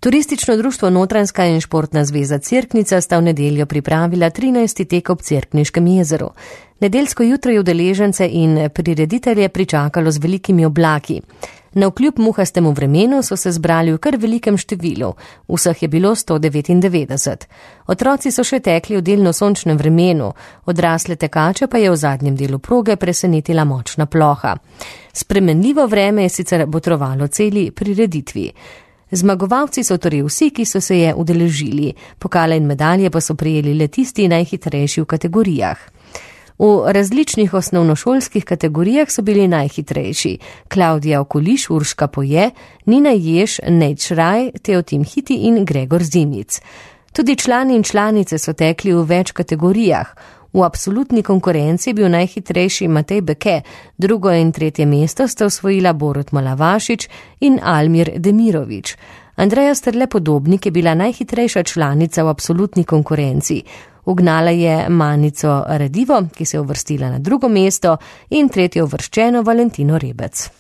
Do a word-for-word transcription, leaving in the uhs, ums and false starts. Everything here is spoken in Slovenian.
Turistično društvo Notranjska in Športna zveza Cerknica sta v nedeljo pripravila trinajsti tek ob Cerkniškem jezeru. Nedeljsko jutro je udeležence in prireditelje pričakalo z velikimi oblaki. Navkljub muhastemu vremenu so se zbrali v kar velikem številu, vseh je bilo sto devetindevetdeset. Otroci so še tekli v delno sončnem vremenu, odrasle tekače pa je v zadnjem delu proge presenetila močna ploha. Spremenljivo vreme je sicer botrovalo celi prireditvi. Zmagovalci so torej vsi, ki so se je udeležili, pokale in medalje pa so prijeli le tisti najhitrejši v kategorijah. V različnih osnovnošolskih kategorijah so bili najhitrejši Klaudija Okoliš, Urška Poje, Nina Jež, Nejc Šraj, Teotim Hiti in Gregor Zimic. Tudi člani in članice so tekli v več kategorijah. V absolutni konkurenci je bil najhitrejši Matej Beke, drugo in tretje mesto sta osvojila Borut Malavašič in Almir Demirovič. Andreja Strle-Podobnik je bila najhitrejša članica v absolutni konkurenci. Ugnala je Manico Radivo, ki se je uvrstila na drugo mesto, in tretjo uvrščeno Valentino Rebec.